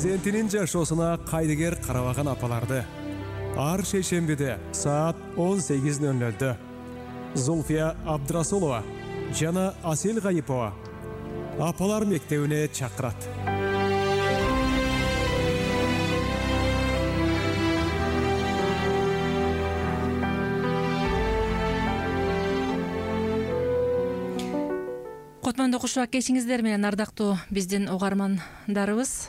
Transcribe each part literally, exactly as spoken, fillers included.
перзентинин жашоосуна кайдыгер карабаган апаларды ар шейшембиде саат он сегиз ноль нолдо Зульфия Абдрасулова жана Асел Гайипова апалар мектебине чакырат. Котмондо кушак кечиңиздер менен ардактуу биздин угармандарыбыз.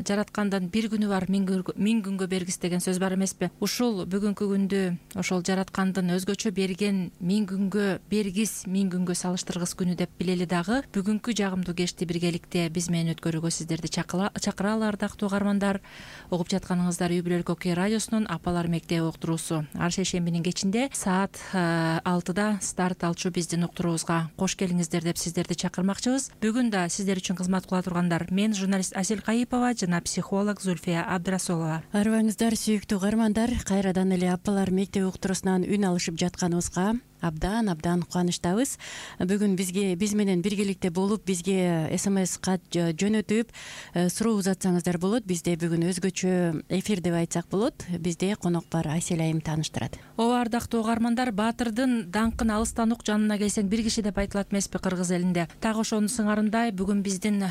Жараткандан бир күнү бар, миң күнгө бергис деген сөз бар эмеспи? Ушул бүгүнкү күндү ошол жараткандын өзгөчө берген миң күнгө бергис, миң күнгө салыштыргыс күнү деп билели дагы. Бүгүнкү жагымдуу кечти биргеликте биз менен өткөрүүгө сиздерди чакыралы ардактуу угармандар. Угуп жатканыңыздар Үй бүлөлүк Окей радиосунун Апалар мектеби уктуруусу. Ар шейшембинин кечинде саат алтыда старт алчу биздин уктуруубузга кош келиңиздер деп сиздерди чакырмакчыбыз. Бүгүн да сиздер үчүн кызмат кыла тургандар мен журналист Асел Гайипова жана психолог Зульфия Абдрасулова. Арыбаңыздар сүйүктүү угармандар, кайрадан эле Апалар мектеби уктуруусунан үн алышып жатканыбызга абдан абдан кубанычтабыз. Бүгүн бизге биз менен биргеликте болуп, бизге смс кат жөнөтүп суроо узатсаңыздар болот. Бизде бүгүн өзгөчө эфир деп айтсак болот. Бизде конок бар, Айсел айым тааныштырат. Ооба ардактуу угармандар, баатырдын даңкын алыстан ук, жанына келсең бир киши деп айтылат эмеспи кыргыз элинде. Так ошонун сыңарындай бүгүн биздин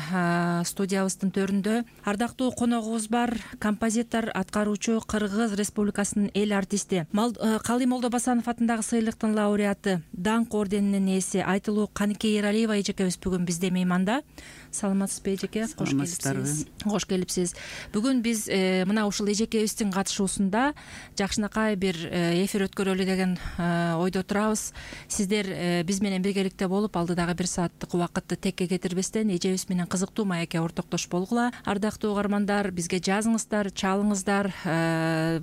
студиябыздын төрүндө ардактуу коногубуз бар, композитор, аткаруучу, Кыргыз Республикасынын эл артисти, Калый Молдобасанов атындагы сыйлыктын лауреаты, даңк орденинин ээси Айтылуу Каныке Эралиева эжекебиз бүгүн бизде мейманда. Саламатсызбы эжеке? Кош келипсиз. Кош келипсиз. Бүгүн биз мына ушул эжекебиздин катышуусунда жакшынакай бир эфир өткөрөлү деген ойдо турабыз. Сиздер биз менен биргеликте болуп, алдыдагы бир сааттык убакытты текке кетирбестен эжебиз менен кызыктуу маекке ортоктош болгула. Ардактуу угармандар, бизге жазыңыздар, чалыңыздар.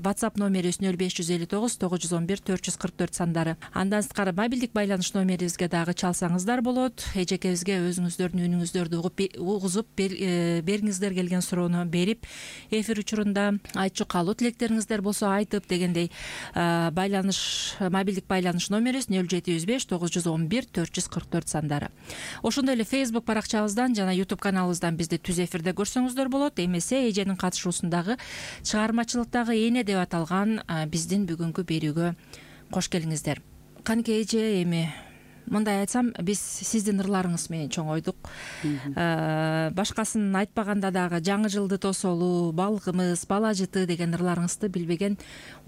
WhatsApp номерибиз нөл беш жүз элүү тогуз тогуз жүз он бир төрт жүз кырк төрт сандары. Андан сырткары мобилдик байланыш номерибизге дагы чалсаңыздар болот. Эжекебизге өзүңүздөрдүн үнүңүздөрдү угузуп бериңиздер келген суроону берип, эфир учурунда айтчу калуу тилектериңиздер болсо айтып дегендей байланыш мобилдик байланыш номерибиз нөл жети жүз беш тогуз жүз он бир төрт жүз кырк төрт сандары. Ошондой эле Facebook баракчабыздан жана YouTube каналыбыздан бизди түз эфирде көрсөңүздөр болот. Эмесе эженин катышуусундагы чыгармачылыктагы эне деп аталган биздин бүгүнкү берүүгө кош келиңиздер. Каныке эже, эми мындай айтсам, биз сиздин ырларыңыз менен чоңойдук. Башкасын айтпаганда дагы жаңы жылды тосолу, балгымыз, бала жыты деген ырларыңызды билбеген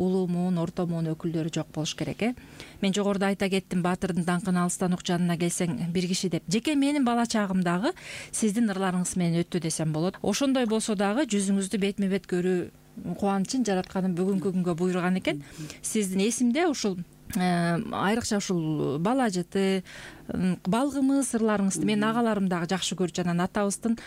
улуу муун, орто муун өкүлдөрү жок болуш керек э. Мен жогоруда айта кеттим, баатырдын даңкын алыстан ук, жанына келсең бир киши деп. Жеке менин бала чагымдагы сиздин ырларыңыз менен өттү десем болот. Ошондой болсо дагы жүзүңүздү бетме бет көрүү кубанычын жаратканым бүгүнкү күнгө буйруган экен. Сиздин эсимде ушул айрыкча ушул бала жыты, балгымыз ырларыңызды мен агаларым дагы жакшы көрүп, жана атабыздын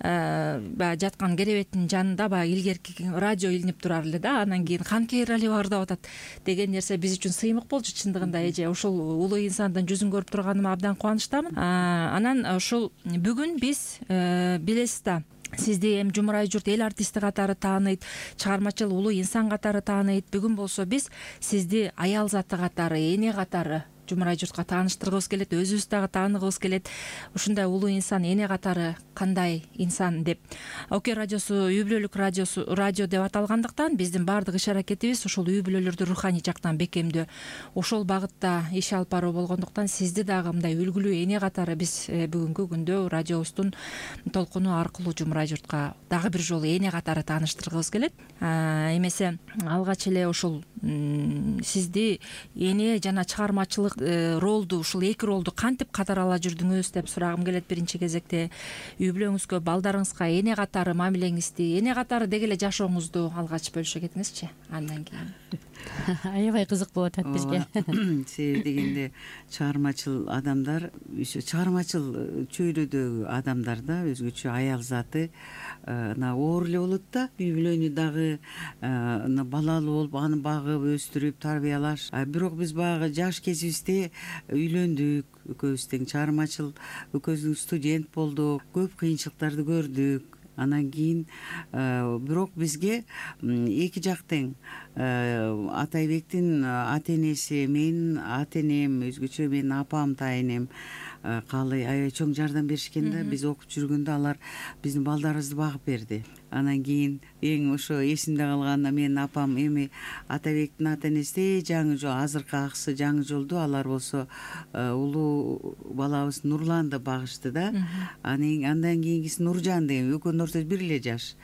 баягы жаткан керебеттин жанында баягы илгерки радио илинип турар эле да, анан кийин Каныке Эралиева ырдап атат деген нерсе биз үчүн сыймык болчу. Чындыгында эже, ушул улуу инсандын жүзүн көрүп турганыма абдан кубанычтамын. Анан ушул бүгүн биз билесиз да, сизди эми жумурай журт эл артисти катары тааныйт, чыгармачыл улуу инсан катары тааныйт. Бүгүн болсо биз сизди аял заты катары, эне катары жумурай журтка тааныштыргыбыз келет, өзүбүз дагы тааныгыбыз келет. Ушундай улуу инсан, эне катары кандай инсан деп. Окей радиосу үй бүлөлүк радиосу радио деп аталгандыктан биздин баардык иш аракетибиз ушул үй бүлөлөрдү руханий жактан бекемдөө, ошол багытта иш алып баруу болгондуктан сизди дагы мындай үлгүлүү эне катары биз бүгүнкү күндө радиобуздун толкуну аркылуу жумурай журтка дагы бир жолу эне катары тааныштыргыбыз келет. Эмесе алгач эле ушул сизди эне жана чыгармачылык ролду, ушул эки ролду кантип катары ала жүрдүңүз деп сурагым келет биринчи кезекте. Үй бүлөңүзгө, балдарыңызга эне катары мамилеңизди, эне катары деги эле жашооңузду алгач бөлүшө кетиңизчи. Андан кийин аябай кызык болуп атат бизге. Себеби дегенде чыгармачыл адамдар, чыгармачыл чөйрөдөгү адамдар да өзгөчө аял заты оор эле болот да. Үй бүлөнү дагы балалуу болуп, аны багып, өстүрүп, тарбиялаш. Бирок биз баягы жаш кезибизде үйлөндүк, экөөбүз тең чыгармачыл, экөөбүз студент болдук, көп кыйынчылыктарды көрдүк. Анан кийин бирок бизге эки жак тең, Атайбектин ата энеси, менин ата энем, өзгөчө менин апам, тайынем, каалай аябай чоң жардам беришкен да. Биз окуп жүргөндө алар биздин балдарыбызды багып берди. Анан кийин эң ошо эсимде калган менин апам эми Атабектин ата энеси жаңы жол, азыркы аксы жаңы жолду, алар болсо улуу балабыз Нурланды багышты да. Анан андан кийинкиси Нуржан деген, экөөнүн ортосу бир эле жаш.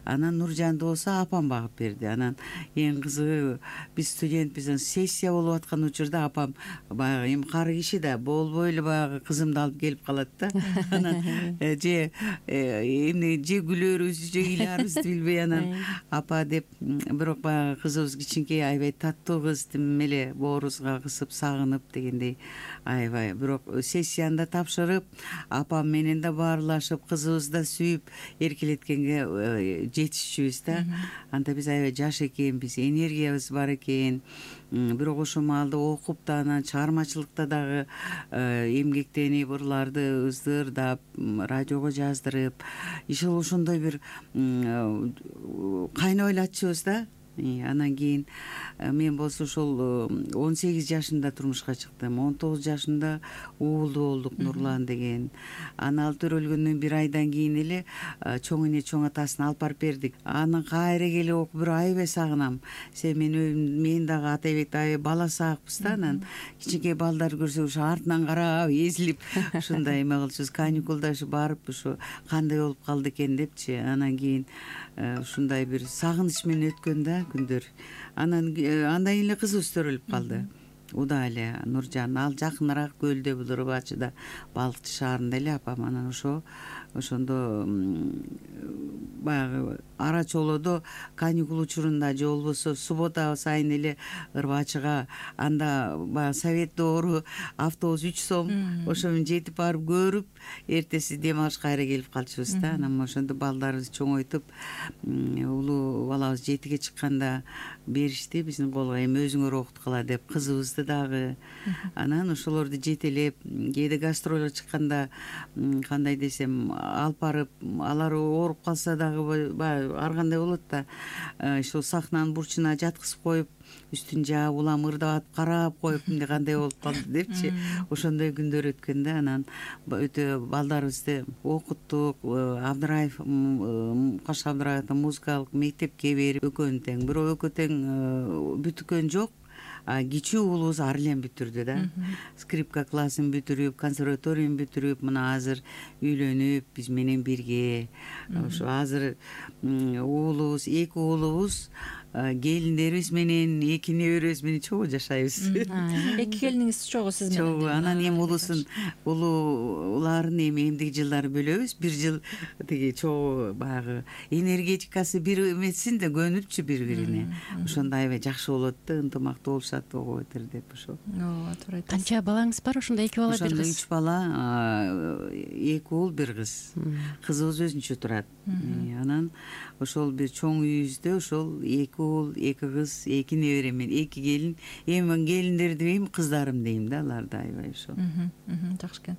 Анан Нуржанды болсо апам багып берди. Анан эң кызыгы, биз студентбиз, сессия болуп аткан учурда апам баягы эми кары киши да, болбой эле баягы кызымды алып келип калат да. Анан же эмне же күлөрүбүз, же ыйлаарыбызды билбей анан апа деп, бирок баягы кызыбыз кичинекей, аябай таттуу кыз, тим эле боорубузга кысып сагынып дегендей аябай. Бирок сессияны да тапшырып, апам менен да баарлашып, кызыбызды да сүйүп эркелеткенге жетишчүбүз да. Анда биз аябай жаш экенбиз, энергиябыз бар экен. Бирок ошол маалда окуп да, анан чыгармачылыкта дагы эмгектенип, ырларды ыздырдап, радиого жаздырып, ишул ошондой бир кайнап эле атчыбыз да. Анан кийин мен болсо ошол он сегиз жашымда турмушка чыктым. он тогуз жашымда уулду болдук, Нурлан деген. Аны ал төрөлгөндөн бир айдан кийин эле чоң эне чоң атасын алып барып бердик. Анан кайра келип окуп, бир аябай сагынам. Себеби мен мен дагы Атайбекти аябай бала саакпыз да. Анан кичинекей балдар көрсөк ошо артынан карап, эзилип ушундай эме кылчубуз. Каникулда ушу барып, ушу кандай болуп калды экен депчи. Анан кийин ушундай бир сагыныч менен өткөн да күндөр. Анан андан кийин эле кызыбыз төрөлүп калды. Уда эле Нуржан, ал жакыныраак көлдө, бул Рыбачыда, Балыкчы шаарында эле апам. Анан ошо ошондо баягы ара чолоодо каникул учурунда же болбосо суббота сайын эле Рыбачыга, анда баягы совет доору автобус үч сом, ошо менен жетип барып көрүп, эртеси дем алыш кайра келип калчубуз да. Анан ошондо балдарыбызды чоңойтуп, улуу балабыз жетиге чыкканда беришти биздин колго, эми өзүңөр окуткула деп, кызыбызды дагы. Анан ошолорду жетелеп, кээде гастролго чыкканда, кандай десем, алып барып, алар ооруп калса дагы баягы ар кандай болот да, ошол сахнанын бурчуна жаткызып коюп, үстүн жаап, улам ырдап карап коюп, эмне кандай болуп калды депчи, ошондой күндөр өткөн да. Анан өтө балдарыбызды окуттук, Абдыраев, Каш Абдыраевдин музыкалык мектепке берип, экөөнү тең, бирок экөө тең бүтүккөн жок. Кичүү уулубуз Арлен бүтүрдү да. Скрипка классын бүтүрүп, консерваторийни бүтүрүп, мына азыр үйлөнүп, биз менен бирге. Ошо азыр уулубуз, эки уулубуз келиндерибиз менен, эки неберебиз менен чогуу жашайбыз. Эки келиниңиз чогуу сиз менен? Чогуу. Анан эми улуусун, улууларын эми эмдиги жылдары бөлөбүз. Бир жыл тиги чогуу баягы энергетикасы бир эмесин да, көнүпчү бири-бирине. Ошондо аябай жакшы болот да, ынтымактуу болушат, ого бетер деп ошо. Ооба, туура айтасыз. Канча балаңыз бар? Ошондо эки бала, бир кыз. Ошондо үч бала, эки уул, бир кыз. Кызыбыз өзүнчө турат. Анан ошол бир чоң үйүбүздө ошол эки уул, эки кыз, эки небере менен, эки келин. Эми келиндер дебейм, кыздарым дейм да, аларды аябай ошо. Жакшы экен.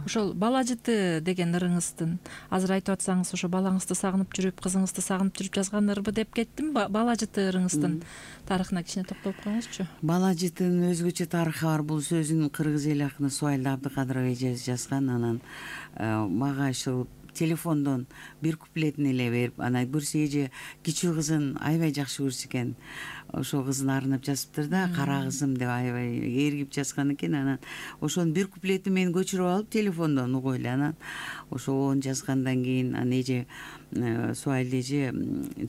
Ошол бала жыты деген ырыңыздын азыр айтып атсаңыз, ошо балаңызды сагынып жүрүп, кызыңызды сагынып жүрүп жазган ырбы деп кеттим. Бала жыты ырыңыздын тарыхына кичине токтолуп коюңузчу. Бала жытынын өзгөчө тарыхы бар. Бул сөзүн кыргыз эл акыны Суайлы Абдыкадыр эже жазган. Анан мага ошол телефондон бир куплетин эле берип, анан көрсө эже кичүү кызын аябай жакшы көрсө экен. Ошол кызын арнап жазыптыр да, кара кызым деп аябай ээргип жазган экен. Анан ошонун бир куплетин мен көчүрүп алып телефондон угуп эле, анан ошону жазгандан кийин анан эже Суайлы эже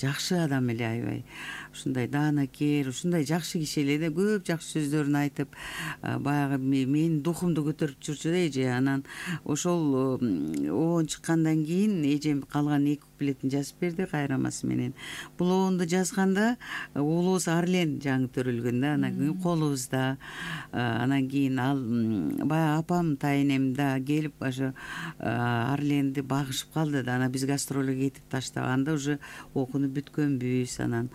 жакшы адам эле, аябай ушундай даанакер, ушундай жакшы киши эле да, көп жакшы сөздөрүн айтып, баягы менин духумду көтөрүп жүрчү да эже. Анан ошол оон чыккандан кийин эжем калган эки куплетин жазып берди кайрамасы менен. Бул оонду жазганда уулубуз Арлен жаңы төрөлгөн да, анан кийин колубузда. Анан кийин ал баягы апам, тайэнем да келип ошо Арленди багышып калды да. Анан биз гастролго кетип таштаганда уже окунуп бүткөнбүз. Анан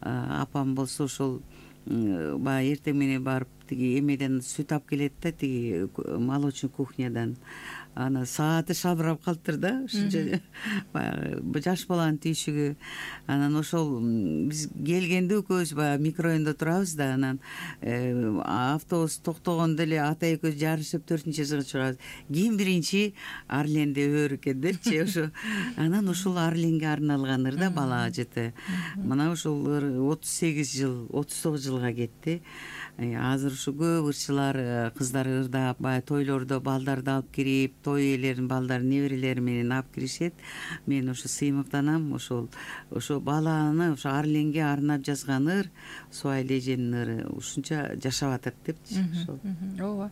апам болсо ошол баягы эртең менен барып тиги эмеден сүт алып келет да, тиги молочный кухнядан. аны сааты шалбырап калыптыр да ушунча баягы жаш баланын түйшүгү. Анан ошол биз келгенде экөөбүз баягы микрорайондо турабыз да, анан автобус токтогондо эле ата экөөбүз жарышып төртүнчү этажга чыгабыз. Ким биринчи Арленде өөр экен депчи ошо. Анан ушул Арленге арналган ыр да бала жыты. Мына ушул ыр отуз сегиз жыл отуз тогуз жылга кетти. Азыр ушу көп ырчылар кыздар ырдап баягы тойлордо балдарды алып кирип, той ээлерин балдарын неберелери менен алып киришет. Мен ошо сыймыктанам, ошол ошо баланы ошо Арленге арнап жазган ыр, Суайлы эженин ыры ушунча жашап атат депчи ошол. Ооба.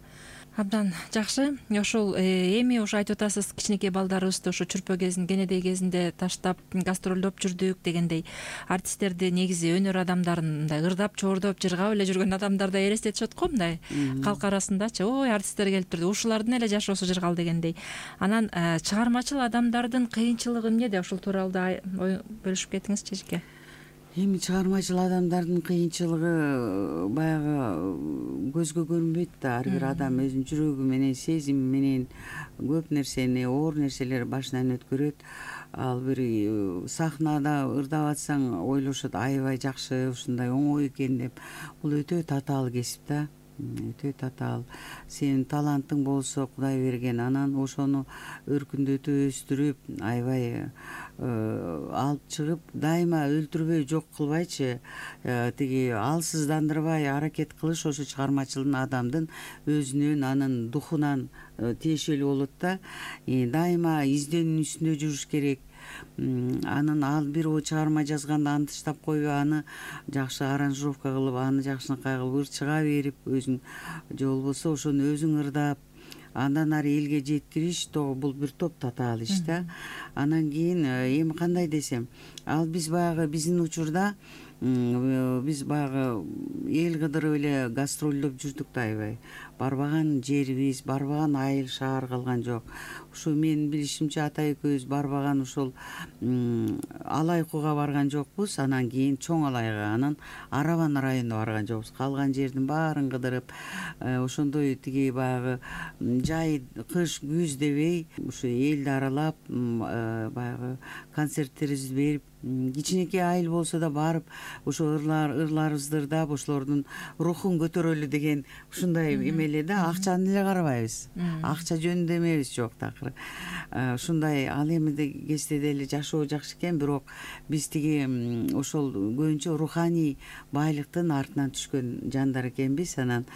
Абдан жакшы. Ошол эми ошо айтып атасыз, кичинекей балдарыбызды ошо чүрпө кезин, кенедей кезинде таштап гастролдоп жүрдүк дегендей. Артисттерди негизи өнөр адамдарын мындай ырдап, чоордоп, жыргап эле жүргөн адамдар да элестетишет го мындай калк арасындачы. Ой, артисттер келип турду, ушулардын эле жашоосу жыргал дегендей. Анан чыгармачыл адамдардын кыйынчылыгы эмнеде? Ошол тууралуу да бөлүшүп кетиңизчи эжеке. Эми чыгармачыл адамдардын кыйынчылыгы баягы көзгө көрүнбөйт да. Ар бир адам өзүнүн жүрөгү менен, сезими менен көп нерсени, оор нерселер башынан өткөрөт. Ал бир сахнада ырдап атсаң ойлошот, аябай жакшы, ушундай оңой экен деп. Бул өтө татаал кесип да. Өтө татаал. Сенин талантың болсо Кудай берген, анан ошону өркүндөтүп өстүрүп, аябай алып чыгып, дайыма өлтүрбөй, жок кылбайчы, тиги алсыздандырбай аракет кылыш ошо чыгармачылдын адамдын өзүнөн, анын духунан тиешелүү болот да. Дайыма изденүүнүн үстүндө жүрүш керек. Анын ал бир чыгарма жазганда аны таштап койбой, аны жакшы аранжировка кылып, аны жакшынакай кылып ырчыга берип, өзүң же болбосо ошону өзүң ырдап, андан ары элге жеткириш, бул бир топ татаал иш да. Анан кийин эми кандай десем, ал биз баягы биздин учурда биз баягы эл кыдырып эле гастролдоп жүрдүк да, аябай. Барбаган жерибиз, барбаган айыл шаар калган жок. Ушу менин билишимче ата экөөбүз барбаган ушул Алайкуга барган жокпуз, анан кийин Чоң Алайга, анан Арабан районуна барган жокпуз. Калган жердин баарын кыдырып, ошондой тиги баягы жай, кыш, күз дебей ушу элди аралап, баягы концерттерибизди берип, кичинекей айыл болсо да барып, ошо ырлар ырларыбызды ырдап, ошолордун рухун көтөрөлү деген ушундай эмеле да. Акчаны эле карабайбыз, акча жөнүндө эмебиз, жок такыр. Ушундай ал эми кезде деле жашоо жакшы экен, бирок биз тиги ошол көбүнчө руханий байлыктын артынан түшкөн жандар экенбиз. Анан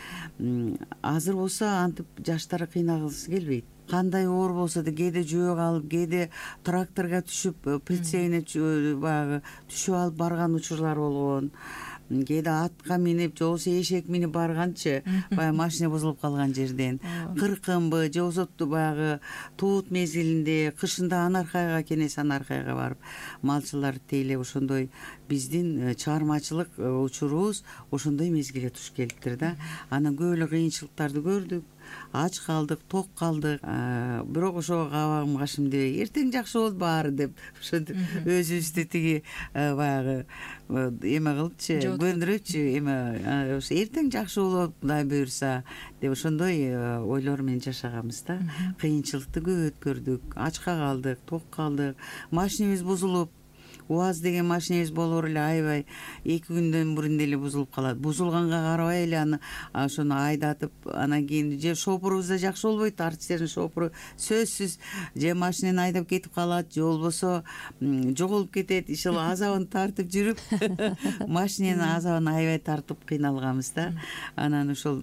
азыр болсо антип жаштар кыйналгысы келбейт. Кандай оор болсо да кээде жөө калып, кээде тракторго түшүп, прицелине баягы түшүп алып барган учурлар болгон. Кээде атка минип, же болбосо эшек минип барганчы, баягы машина бузулуп калган жерден. Кыркынбы, же болбосо баягы туут мезгилинде, кышында Анаркайга, Кенес Анаркайга барып, малчылар тейлеп, ошондой биздин чыгармачылык учурубуз ошондой мезгилге туш келиптир да. Анан көп эле кыйынчылыктарды көрдүк. Ач калдык, ток калдык, бирок ошого кабагым кашым дебей, эртең жакшы болот баары деп, ошентип өзүбүздү тиги баягы эме кылыпчы, көндүрөпчү, эме ошо эртең жакшы болот, Кудай буйрса деп, ошондой ойлор менен жашаганбыз да. Кыйынчылыкты көп өткөрдүк, ачка калдык, ток калдык, машинебиз бузулуп, УАЗ деген машинебиз болбор эле аябай эки күндөн мурун эле бузулуп калат. Бузулганга карабай эле аны ошону айдатып, анан кийин же шопурубуз да жакшы болбойт, артисттердин шопуру сөзсүз же машинени айдап кетип калат, же болбосо жоголуп кетет. Ошол азабын тартып жүрүп, машиненин азабын аябай тартып кыйналганбыз да. Анан ошол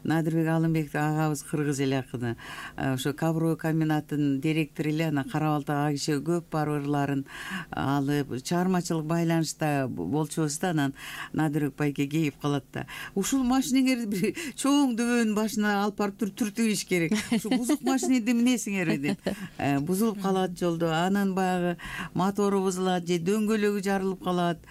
Надырбек Алымбек агабыз кыргыз эле акыны, ошо Каброй комбинатынын директору эле, анан Кара Балтак киши көп барып ырларын алып, чыгармачылык байланышта болчубуз да. Анан Надырбек байке кейип калат да, ушул машинеңерди бир чоң дөбөнүн башына алып барып түртүгүш керек, ушу бузук машинеди эмнесиңерби деп. Бузулуп калат жолдо, анан баягы мотору бузулат же дөңгөлөгү жарылып калат.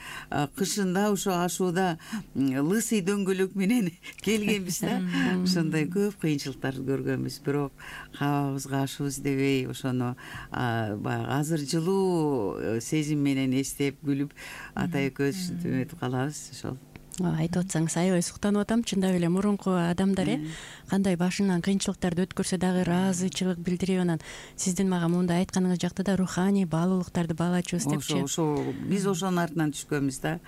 Кышында ошо ашууда лысый дөңгөлөк менен келгенбиз да. Ошондой көп кыйынчылыктарды көргөнбүз, бирок кабагыбызга ашыбыз дебей, ошону баягы азыр жылуу сезим менен эстеп күлүп ата экөөбүз өтүп калабыз. Ошол айтып атсаңыз аябай суктанып атам. Чындап эле мурунку адамдар э кандай башынан кыйынчылыктарды өткөрсө дагы ыраазычылык билдирип, анан сиздин мага мындай айтканыңыз жакта да руханий баалуулуктарды баалачубуз депчи. Ошо биз ошонун артынан түшкөнбүз да.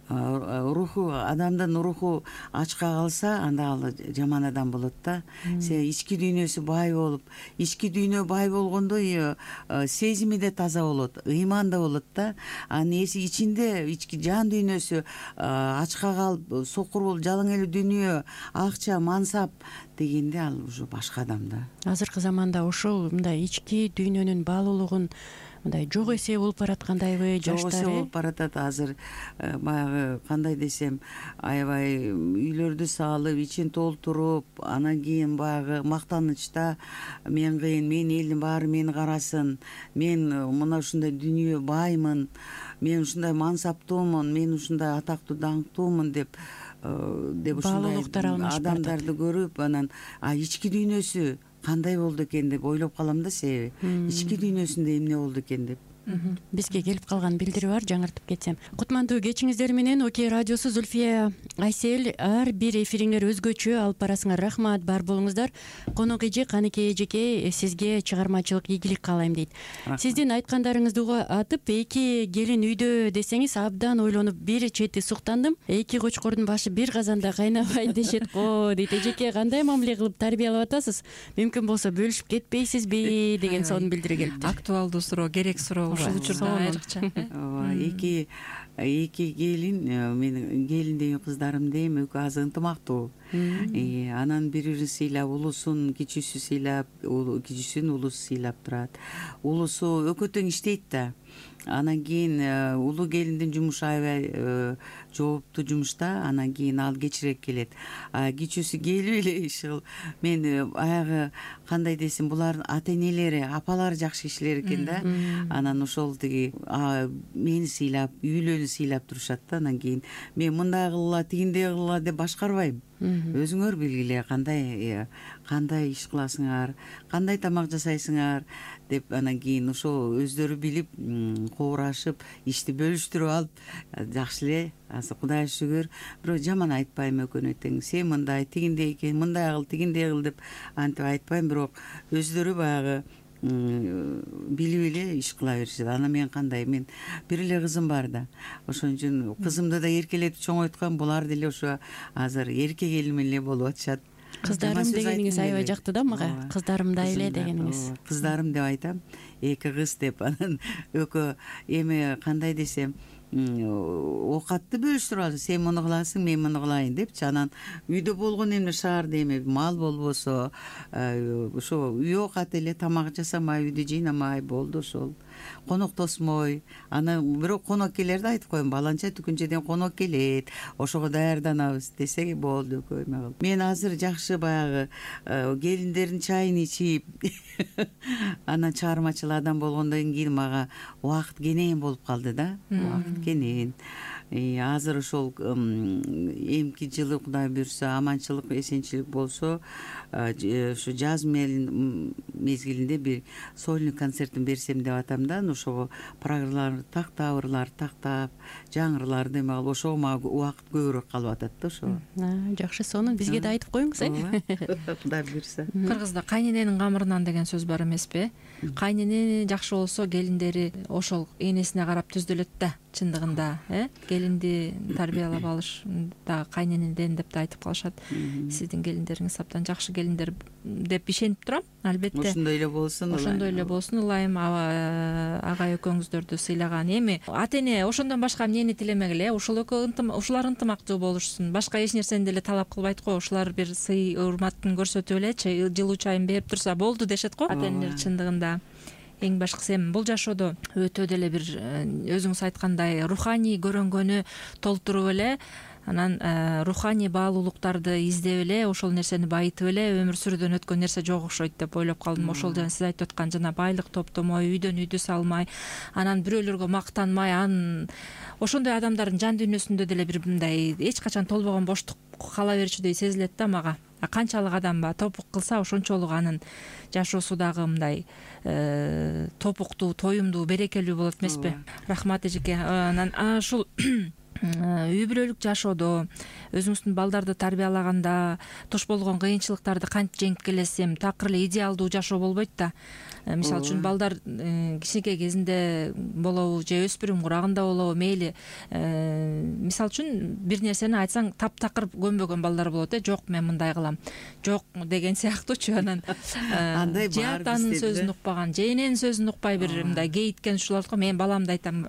Руху, адамдын руху ачка калса, анда ал жаман адам болот да. Се ички дүйнөсү бай болуп, ички дүйнө бай болгондой сезими да таза болот, ыйман да болот да. Анын эси ичинде ички жан дүйнөсү ачка калып, сокур болуп, жалаң эле дүйнө, акча, мансап дегенде ал уже башка адам да. Азыркы заманда ошол мындай ички дүйнөнүн баалуулугун мындай жок эсе болуп бараткандайбы жаштар? Жок эсе болуп баратат азыр. Баягы кандай десем, аябай үйлөрдү салып, ичин толтуруп, анан кийин баягы мактанычта мен кыйын, мен элдин баары мени карасын, мен мына ушундай дүйнө баймын, мен ушундай мансаптуумун, мен ушундай атактуу даңктуумун деп деп ушундай адамдарды көрүп, анан а ички дүйнөсү кандай болду экен деп ойлоп калам да, себеби ички дүйнөсүндө эмне болду экен деп. Бизге келип калган билдири бар, жаңыртып кетсем. Кутмандуу кечиңиздер менен Окей радиосу, Зульфия, Айсел, ар бир эфириңер өзгөчө, алып барасыңар. Рахмат, бар болуңуздар. Конок эже, Каныкей эжеке, сизге чыгармачылык ийгилик каалайм дейт. Сиздин айткандарыңызды атып, эки келин үйдө десеңиз, абдан ойлонуп, бир чети суктандым. Эки кочкордун башы бир казанда кайнабайт дешет го дейт. Эжеке, кандай мамиле кылып тарбиялап атасыз? Мүмкүн болсо бөлүшүп кетпейсизби деген сонун билдири келиптир. Актуалдуу суроо, керек суроо. Ушул учурда айрыкча. Ооба, эки эки келин, менин келин дейм, кыздарым дейм, экөө аз ынтымактуу. Анан бири-бирин сыйлап, улусун кичүүсү сыйлап, кичүүсүн улусу сыйлап турат. Улусу экөө тең иштейт да. Анан кийин улуу келиндин жумушу аябай жооптуу жумушта, анан кийин ал кечирээк келет. А кичүүсү келип эле иши мен баягы кандай десем, булардын ата энелери, апалары жакшы кишилер экен да. Анан ошол тиги мени сыйлап, үйлөнү сыйлап турушат да. Анан кийин мен мындай кылгыла, тигиндей кылгыла деп башкарбайм. Өзүңөр билгиле, кандай кандай иш кыласыңар, кандай тамак жасайсыңар деп, анан кийин ошо өздөрү билип, коорашып, ишти бөлүштүрүп алып, жакшы эле. Азыр Кудайга шүгүр, бирок жаман айтпайм экөөнө тең. Сен мындай, тигиндей экен, мындай кыл, тигиндей кыл деп антип айтпайм, бирок өздөрү баягы билип эле иш кыла беришет. Анан мен кандай, мен бир эле кызым бар да. Ошон үчүн кызымды да эркелетип чоңойткам, булар деле ошо азыр эрке келин эле болуп атышат. Кыздарым дегениңиз аябай жакты да мага. Кыздарымдай эле дегениңиз. Кыздарым деп айтам, эки кыз деп. Анан экөө эми кандай десем, оокатты бөлүштүрүп алып, сен муну кыласың, мен муну кылайын депчи. Анан үйдө болгон эмне шаарда эми мал болбосо, ошо үй оокаты эле, тамак жасамай, үйдү жыйнамай болду ошол. Конок тосмой. Анан бирок конок келерде айтып коем, баланча түкүнчөдөн конок келет, ошого даярданабыз десең болду экөө эме кылып. Мен азыр жакшы баягы келиндердин чайын ичип, анан чыгармачыл адам болгондон кийин мага убакыт кенен болуп калды да. Убакыт кенен. Азыр ошол эмки жылы Кудай буйрса, аманчылык, эсенчилик болсо, ушу жаз мезгилинде бир сольный концертин берсем деп атам да. Ошого программаларды тактап, ырларды тактап, жаңырларды эме кылып, ошого мага убакыт көбүрөөк калып атат да ошо. Жакшы, сонун бизге да айтып коюңуз, э? Кудай буйрса. Кыргызда кайнененин камырынан деген сөз бар эмеспи? Кайнене жакшы болсо, келиндери ошол энесине карап түздөлөт да, чындыгында, э? Келинди тарбиялап алыш дагы кайненеден деп да айтып калышат. Сиздин келиндериңиз абдан жакшы келиндер деп ишенип турам, албетте. Ошондой эле болсун. Ошондой эле болсун, ылайым агай экөөңүздөрдү сыйлаган. Эми ата эне ошондон башка эмнени тилемегиле, ушул экөө ушулар ынтымактуу болушсун. Башка эч нерсени деле талап кылбайт го. Ушулар бир сый, урматын көрсөтүп эле, жылуу чайын берип турса болду дешет го ата энелер. Чындыгында эң башкысы эми бул жашоодо өтө деле бир өзүңүз айткандай руханий көрөнгөнү толтуруп эле, анан руханий баалуулуктарды издеп эле, ошол нерсени байытып эле өмүр сүрүүдөн өткөн нерсе жок окшойт деп ойлоп калдым. Ошол жана сиз айтып аткан жана байлык топтомой, үйдөн үйдү салмай, анан бирөөлөргө мактанмай, анын ошондой адамдардын жан дүйнөсүндө деле бир мындай эч качан толбогон боштук кала берчүдөй сезилет да мага. Канчалык адам топук кылса, ошончолук анын жашоосу дагы мындай топуктуу, тоюмдуу, берекелүү болот эмеспи? Рахмат эжеке. Анан ушул үй бүлөлүк жашоодо өзүңүздүн балдарды тарбиялаганда туш болгон кыйынчылыктарды кантип жеңип келесиз? Эми такыр эле идеалдуу жашоо болбойт да. Мисалы үчүн балдар кичинекей кезинде болобу же өспүрүм курагында болобу, мейли мисалы үчүн бир нерсени айтсаң таптакыр көнбөгөн балдар болот э. Жок, мен мындай кылам, жок деген сыяктуучу. Анан андай же атанын сөзүн укпаган, же эненин сөзүн укпай бир мындай кейиткен ушул болот го. Мен баламды айтам,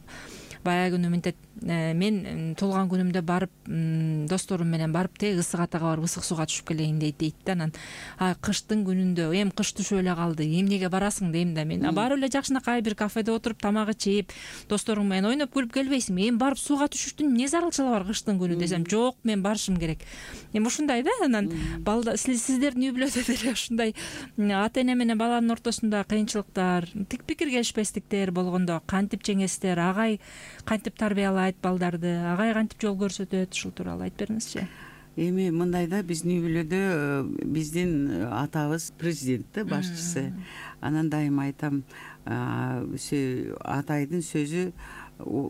баягы күнү мынтет, мен туулган күнүмдө барып досторум менен барып теги ысык атага барып ысык сууга түшүп келейин дейт дейт да. Анан кыштын күнүндө эми кыш түшүп эле калды, эмнеге барасың дейм да мен. Барып эле жакшынакай бир кафеде отуруп тамак ичип досторуң менен ойноп күлүп келбейсиңби? Эми барып сууга түшүштүн эмне зарылчылыгы бар кыштын күнү десем, жок, мен барышым керек. Эми ушундай да. Анан балдар, сиздердин үй бүлөдө деле ушундай ата эне менен баланын ортосунда кыйынчылыктар, тик пикир келишпестиктер болгондо кантип жеңесиздер? Агай кантип тарбиялайт балдарды, агай кантип жол көрсөтөт? Ушул тууралуу айтып бериңизчи. Эми мындай да, биздин үй бүлөдө биздин атабыз президент да, башчысы. Анан дайыма айтам, атайдын сөзү,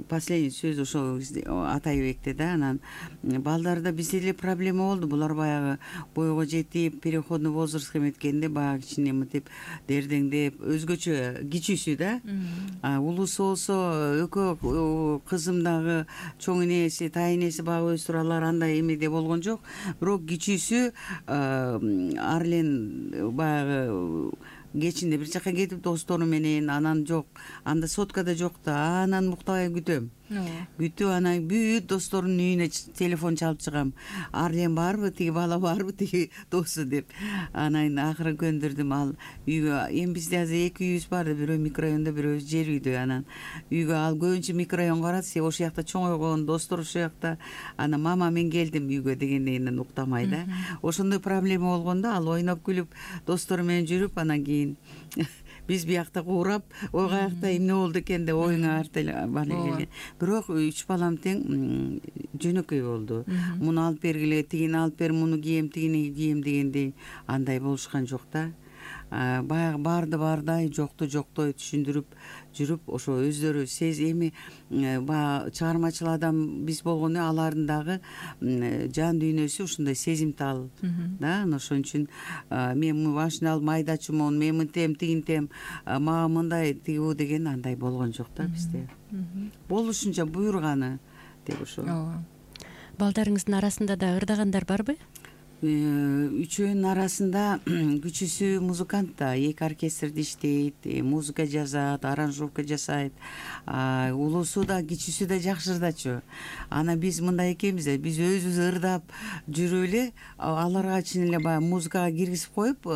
последний сөз ошол Атайбекте да. Анан балдарда бизде эле проблема болду. Булар баягы бойго жетип, переходный возрастка эметкенде баягы кичине мынтип дердеңдеп, өзгөчө кичүүсү да. Улуусу болсо экөө кызым дагы чоң энеси, тайэнеси багып өстүрүп алар, андай эмеде болгон жок. Бирок кичүүсү ар эле баягы кечинде бир жака кетип достору менен, анан жок, анда соткада жок да, анан муктабай күтөм. Күтүп анан бүт досторунун үйүнө телефон чалып чыгам. Арлен барбы, тиги бала барбы, тиги досу деп. Анан акыры көндүрдүм. Ал үйгө, эми бизде азыр эки үйүбүз бар, бирөө микрорайондо, бирөө жер үйдө. Анан үйгө ал көбүнчө микрорайонго барат, се ошол жакта чоңойгон, достор ошол жакта. Анан мама мен келдим үйгө дегенден уктамай да. Ошондой проблема болгондо ал ойноп күлүп достору менен жүрүп, анан кийин биз биякта куурап, ой каякта эмне болду экен деп оюңа бара келген. Бирок үч балам тең жөнөкөй болду. Муну алып бергиле, тигини алып бер, муну кийем, тигини кийем дегендей андай болушкан жок да. Баягы барды бардай, жокту жоктой түшүндүрүп жүрүп, ошо өздөрү сез эми баягы чыгармачыл адам биз болгону, алардын дагы жан дүйнөсү ушундай сезимтал да. Ошон үчүн мен машина алып майдачумун, мен мынтем, тигинтем, мага мындай тигибу деген андай болгон жок да бизде. Болушунча буйруганы деп ошо. Балдарыңыздын арасында да ырдагандар барбы? Үчөөнүн арасында күчүүсү музыкант да, эки оркестрде иштейт, музыка жазат, аранжировка жасайт. Улуусу да, кичүүсү да жакшы ырдачу. Анан биз мындай экенбиз да, биз өзүбүз ырдап жүрүп эле аларга чын эле баягы музыкага киргизип коюп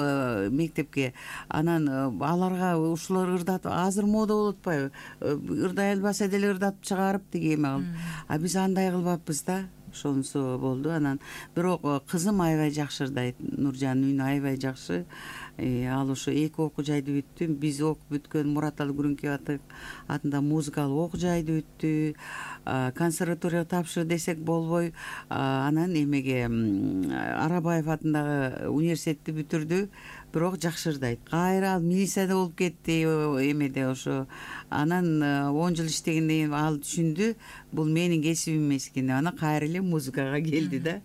мектепке. Анан аларга ушулар ырдатып, азыр мода болуп атпайбы? Ырдай албаса деле ырдатып чыгарып тиги эме кылып. А биз андай кылбаппыз да. Ошонусу болду. Анан бирок кызым аябай жакшы ырдайт. Нуржандын үнү аябай жакшы. Ал ошо эки окуу жайды бүттү. Биз окуп бүткөн Мураталы Күрүнкебай атында музыкалык окуу жайды бүттү. Консерваторияга тапшыр десек болбой, анан эмеге Арабаев атындагы университетти бүтүрдү. Бирок жакшы ырдайт. Кайра ал милицияда болуп кетти эмеде ошо. Анан он жыл иштегенден кийин ал түшүндү, бул менин кесибим эмес экен деп, анан кайра эле музыкага келди да.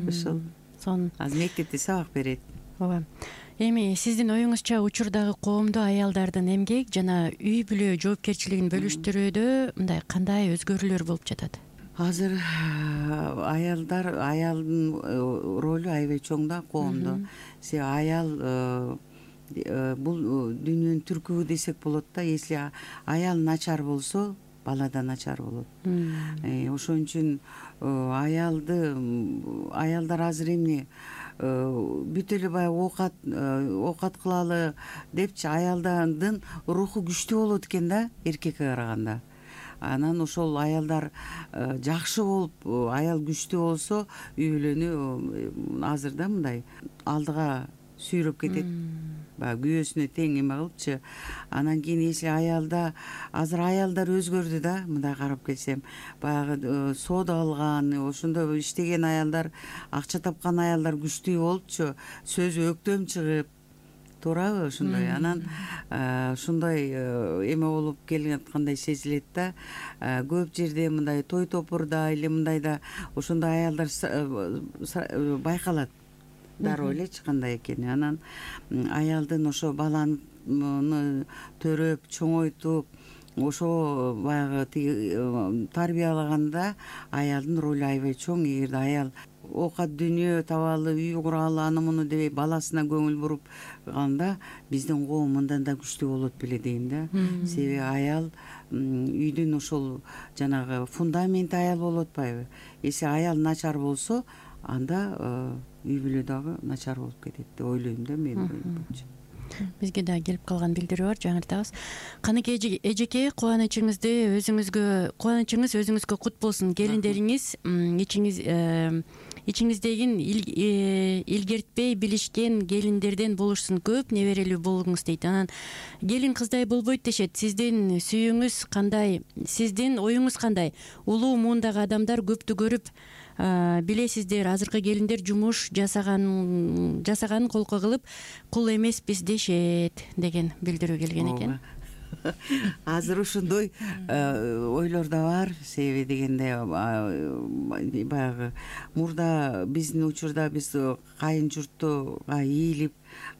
Ошол. Сонун. Азыр мектепте сабак берет. Ооба. Эми сиздин оюңузча учурдагы коомдо аялдардын эмгек жана үй бүлө жоопкерчилигин бөлүштүрүүдө мындай кандай өзгөрүүлөр болуп жатат? Азыр аялдар, аялдын ролу аябай чоң да коомдо. Се аял бул дүйнөнүн түркүбү десек болот да. Если аял начар болсо, бала да начар болот. Ошон үчүн аялды, аялдар азыр эмне бүт эле баягы оокат оокат кылалы депчи, аялдардын руху күчтүү болот экен да эркекке караганда. Анан ошол аялдар жакшы болуп, аял күчтүү болсо, үй бүлөнү азыр да мындай алдыга сүйрөп кетет. Баягы күйөөсүнө тең эме кылыпчы. Анан кийин если аялда, азыр аялдар өзгөрдү да, мындай карап келсем. Баягы соода кылган, ошондой иштеген аялдар, акча тапкан аялдар күчтүү болупчу. Сөзү өктөм чыгып, туурабы ошондой анан ушундай эме болуп келаткандай сезилет да. Көп жерде мындай той топурда или мындайда ошондой аялдар байкалат дароо элечи кандай экени. Анан аялдын ошо баланы төрөп чоңойтуп ошо баягы тиги тарбиялаганда аялдын ролу аябай чоң. Эгерде аял оокат дүйнө табалы, үй куралы, аны муну дебей баласына көңүл буруп калганда биздин коом мындан да күчтүү болот беле дейм да. Себеби аял үйдүн ошол жанагы фундаменти аял болуп атпайбы. Эсе аял начар болсо анда үй бүлө дагы начар болуп кетет деп ойлойм да менин оюм боюнча. Бизге да келип калган билдирүү бар, жаңыртабыз. Каныкей эжеке, кубанычыңызды өзүңүзгө кубанычыңыз өзүңүзгө кут болсун. Келиндериңиз ичиңиз ичиңиздеги илгертпей билишкен келиндерден болушсун, көп неберелүү болгуңуз дейт. Анан келин кыздай болбойт дешет. Сиздин сүйүүңүз кандай? Сиздин оюңуз кандай? Улуу муундагы адамдар көптү көрүп билесиздер, азыркы келиндер жумуш жасаган жасаганын колко кылып кул эмеспиз дешет деген билдирүү келген экен. Азыр ошондой ойлор да бар. Себеби дегенде баягы мурда биздин учурда биз кайын журтуга ийилип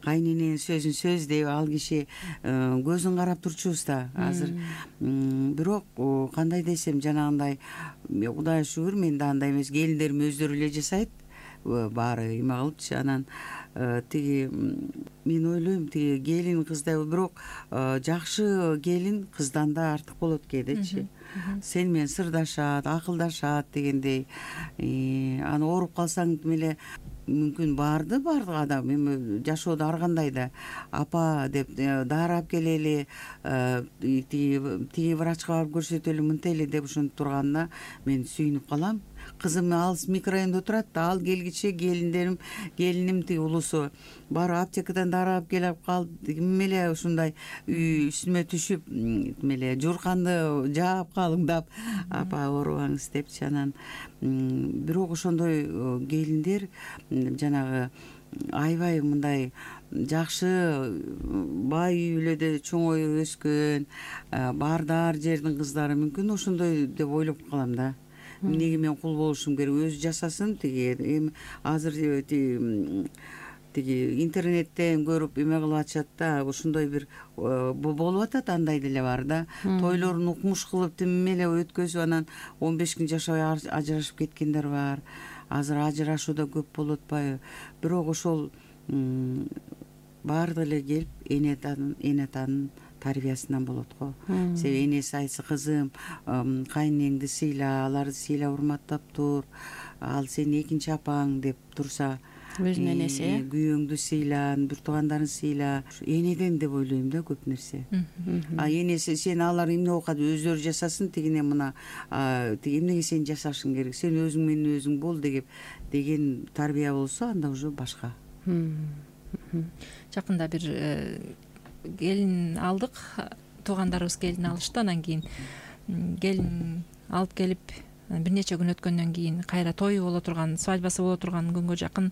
кайнэненин сөзүн сөз деп ал киши көзүн карап турчубуз да. Азыр бирок кандай десем жанагындай Кудайга шүгүр мен да андай эмес, келиндерим өздөрү эле жасайт баары эме кылыпчы. Анан тиги мен ойлойм тиги келин кыздай, бирок жакшы келин кыздан да артык болот кээдечи. Сен менен сырдашат, акылдашат дегендей. Аны ооруп калсаң эле мүмкүн барды бардык адам эми жашоодо ар кандай да апа деп дары алып келели, тиги врачка барып көрсөтөлү, мынтели деп ошентип турганына мен сүйүнүп калам. Кызым алыс микрорайондо турат да, ал келгиче келиндерим келиним тиги улусу барып аптекадан дары алып келип калды, ким эле ушундай үй үстүмө түшүп эле жуурканды жаап калыңдап апа оорубаңыз депчи. Анан бирок ошондой келиндер жанагы аябай мындай жакшы бай үй бүлөдө чоңоюп өскөн баардар жердин кыздары мүмкүн ошондой деп ойлоп калам да. Эмнеге мен кул болушум керек, өзү жасасын. Тиги эми азыр тиги интернеттен көрүп эме кылып атышат да, ушундай бир болуп атат, андай деле бар да. Тойлорун укмуш кылып тим эле өткөзүп анан он беш күн жашабай ажырашып кеткендер бар. Азыр ажырашуу да көп болуп атпайбы? Бирок ошол баардыгы эле келип эне атанын тарбиясынан болот го. Себеби энеси айтса, кызым, кайнэнеңди сыйла, аларды сыйла, урматтап тур, ал сенин экинчи апаң деп турса, өзүнүн энеси, күйөөңдү сыйла, бир туугандарың сыйла. Энеден деп ойлойм да көп нерсе. А энеси сен алар эмне оокат өздөрү жасасын, тигине мына тиги эмнеге сен жашашың керек, сен өзүң менен өзүң бол деген деген тарбия болсо, анда уже башка. Жакында бир келин алдык, туугандарыбыз келин алышты. Анан кийин келин алып келип бир нече күн өткөндөн кийин кайра тою боло турган, свадьбасы боло турган күнгө жакын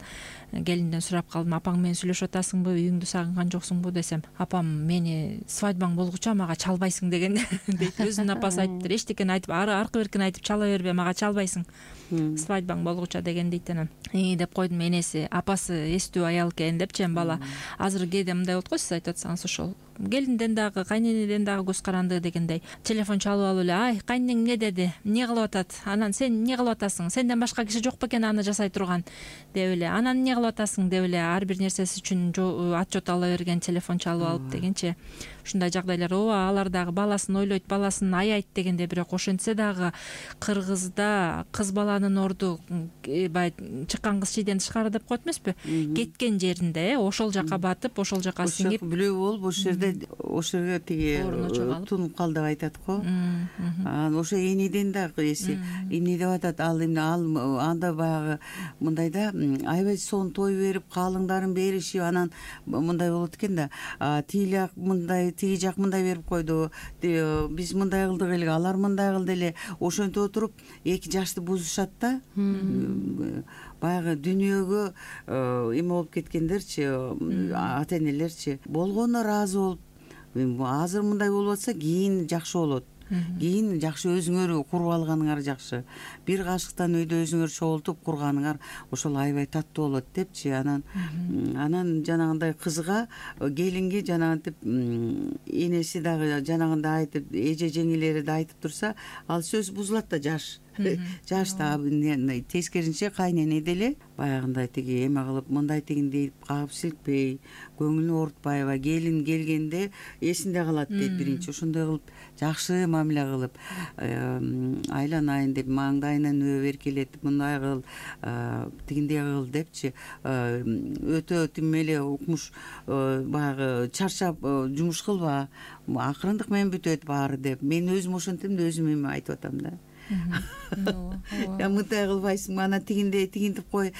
келинден сурап калдым: апаң менен сүйлөшүп атасыңбы, үйүңдү сагынган жоксуңбу десем, апам мени свадьбаң болгуча мага чалбайсың деген дейт. Өзүнүн апасы айтыптыр, эчтекени айтып аркы беркин айтып чала бербе, мага чалбайсың свадьбаң болгуча деген дейт. Анан и деп койдум, энеси апасы эстүү аял экен депчи. Эми бала азыр кээде мындай болот го, сиз айтып атсаңыз, ошол келинден дагы кайненеден дагы көз каранды дегендей телефон чалып алып эле: ай, кайненең эмне деди, эмне кылып атат, анан сен эмне кылып атасың, сенден башка киши жок бекен аны жасай турган деп эле, анан эмне кылып атасың деп эле ар бир нерсеси үчүн отчет ала берген, телефон чалып алып дегенчи. Ушундай жагдайлар ооба, алар дагы баласын ойлойт, баласын аяйт дегенде. Бирок ошентсе дагы кыргызда кыз баланын орду баягы чыккан кыз чийден тышкары деп коет эмеспи, кеткен жеринде ошол жака батып, ошол жака сиңип билүү болуп, ошол жерде ошол жерге тиги тунуп кал деп айтат го. Анан ошо энеден дагы эси эмне деп атат, ал эмне, ал анда баягы мындайда аябай сон той берип, калыңдарын беришип, анан мындай болот экен да, тиги эле мындай тиги жак мындай берип койду, биз мындай кылдык эле, алар мындай кылды эле, ошентип отуруп эки жашты бузушат да. Баягы дүйнөгө эме болуп кеткендерчи, ата энелерчи болгонуна ыраазы болуп, азыр мындай болуп атса кийин жакшы болот, кийин жакшы өзүңөр куруп алганыңар жакшы, бир кашыктан үйдө өзүңөр чогултуп курганыңар ошол аябай таттуу болот депчи. Анан анан жанагындай кызга, келинге жанагынтип энеси дагы жанагындай айтып, эже жеңелери да айтып турса, ал сөз бузулат да, жаш жашта. Тескерисинче кайнене деле баягындай тиги эме кылып, мындай тигиндей кагып силкпей, көңүлүн оорутпайбы, келин келгенде эсинде калат дейт. Биринчи ошондой кылып, жакшы мамиле кылып, айланайын деп, маңдайынан өбүп эркелетип, мындай кыл, тигиндей кыл депчи. Өтө тим эле укмуш, баягы чарчап жумуш кылба, акырындык менен бүтөт баары деп. Мен өзүм ошентем да, өзүм эме айтып атам да. Я мындай кылбайсыңбы, ана тигиндей тигинтип кой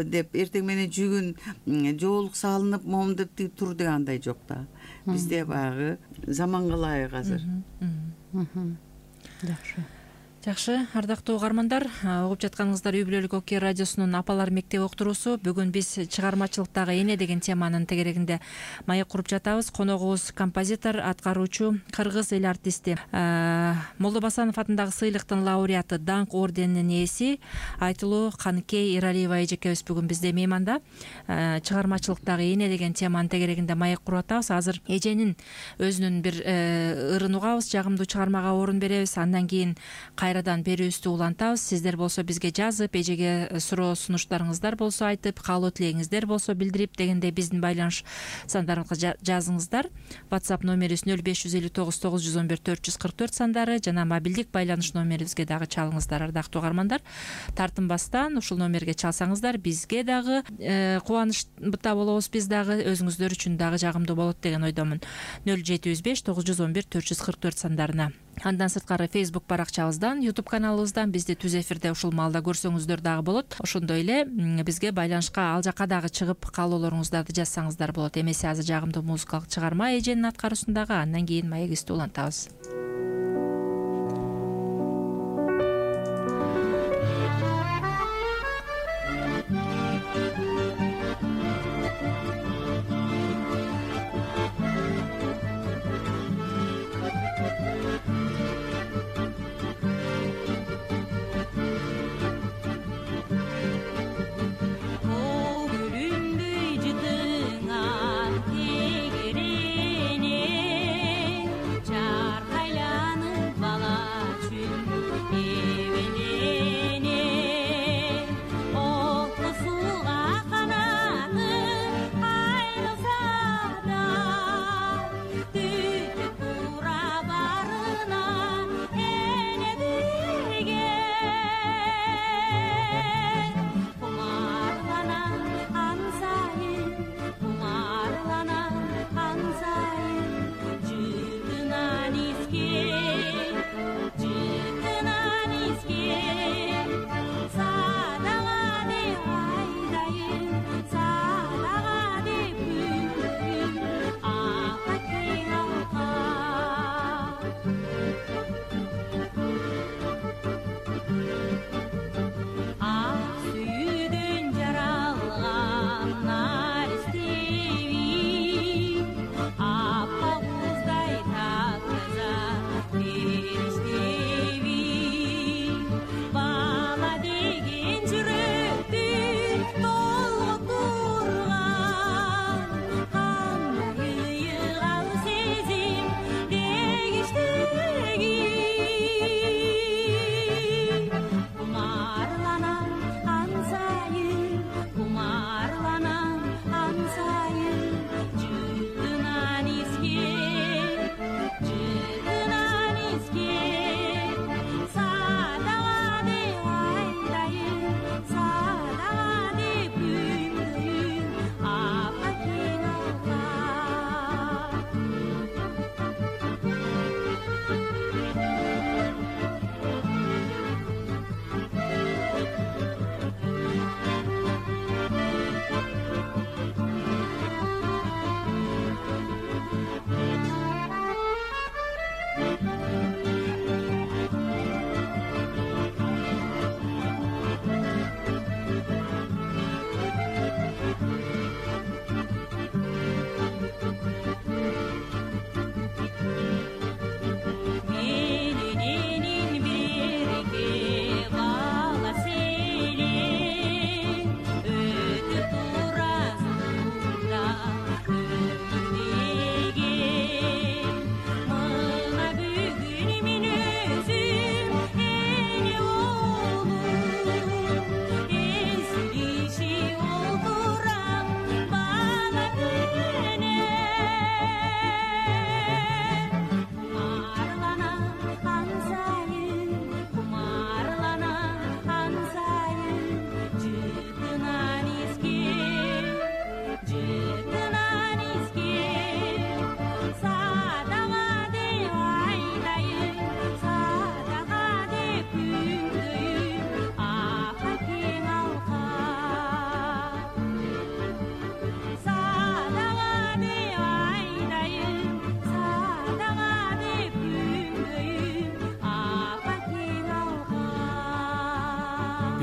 деп, эртең менен жүгүн жоолук салынып момдоп тигип тур дегандай жок да. Бизде баягы заманга ылайык азыр. Жакшы. Жакшы, ардактуу угармандар, угуп жатканыңыздар Үй бүлөлүк Окей радиосунун Апалар мектеби уктуруусу. Бүгүн биз чыгармачылыктагы эне деген теманын тегерегинде маек куруп жатабыз. Коногубуз композитор, аткаруучу, кыргыз эл артисти, Молдо Басанов атындагы сыйлыктын лауреаты, даңк орденинин ээси Айтылуу Каныкей Эралиева эжекебиз бүгүн бизде мейманда. Чыгармачылыктагы эне деген теманын тегерегинде маек куруп атабыз. Азыр эженин өзүнүн бир ырын угабыз, жагымдуу чыгармага орун беребиз. Андан кийин кайрадан берүүбүздү улантабыз. Сиздер болсо бизге жазып, эжеге суроо сунуштарыңыздар болсо айтып, каалоо тилегиңиздер болсо билдирип дегендей биздин байланыш сандарыбызга жазыңыздар. WhatsApp номерибиз нөл беш жүз элүү тогуз тогуз жүз он бир төрт жүз кырк төрт сандары жана мобилдик байланыш номерибизге дагы чалыңыздар, ардактуу угармандар. Тартынбастан ушул номерге чалсаңыздар бизге дагы кубанычта болобуз, биз дагы өзүңүздөр үчүн дагы жагымдуу болот деген ойдомун. нөл жети жүз беш тогуз жүз он бир төрт жүз кырк төрт сандарына. Андан сырткары Facebook баракчабыздан, YouTube каналыбыздан бизди түз эфирде ушул маалда көрсөңүздөр дагы болот. Ошондой эле бизге байланышка ал жака дагы чыгып каалоолоруңуздарды жазсаңыздар болот. Эмесе азыр жагымдуу музыкалык чыгарма эженин аткаруусундагы, андан кийин маегибизди улантабыз.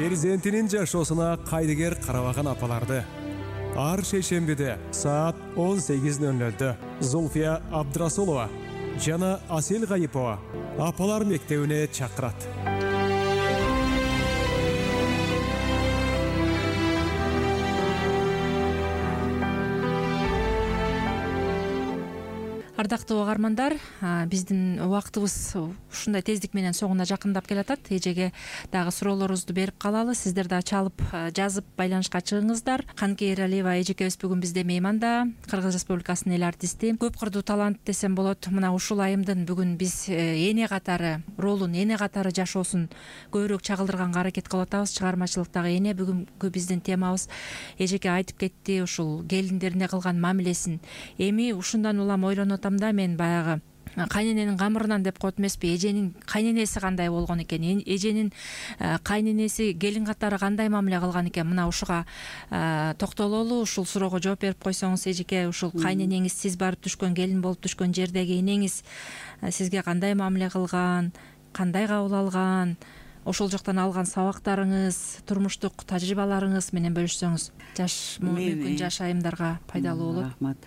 перзентинин жашоосуна кайдыгер карабаган апаларды ар шейшембиде саат он сегиз ноль нолдо Зульфия Абдрасулова жана Асель Гайипова апалар мектебине чакырат. Ардактуу угармандар, биздин убактыбыз ушундай тездик менен соңуна жакындап келатат. Эжеге дагы суроолорубузду берип калалы. Сиздер дагы чалып, жазып байланышка чыгыңыздар. Канке Эралиева эжекебиз бүгүн бизде мейманда, Кыргыз Республикасынын эл артисти, көп кырдуу талант десем болот. Мына ушул айымдын бүгүн биз эне катары ролун, эне катары жашоосун көбүрөөк чагылдырганга аракет кылып атабыз. Чыгармачылыктагы эне бүгүнкү биздин темабыз. Эжеке айтып кетти ушул келиндерине кылган мамилесин. Эми ушундан улам ойлонуп атам да, мен баягы кайнененин камырынан деп коет эмеспи, эженин кайненеси кандай болгон экен, эженин кайненеси келин катары кандай мамиле кылган экен, мына ушуга токтололу. Ушул суроого жооп берип койсоңуз эжеке, ушул кайненеңиз, сиз барып түшкөн, келин болуп түшкөн жердеги энеңиз сизге кандай мамиле кылган, кандай кабыл алган, ошол жактан алган сабактарыңыз, турмуштук тажрыйбаларыңыз менен бөлүшсөңүз жаш мүмкүн жаш айымдарга пайдалуу болот. Рахмат.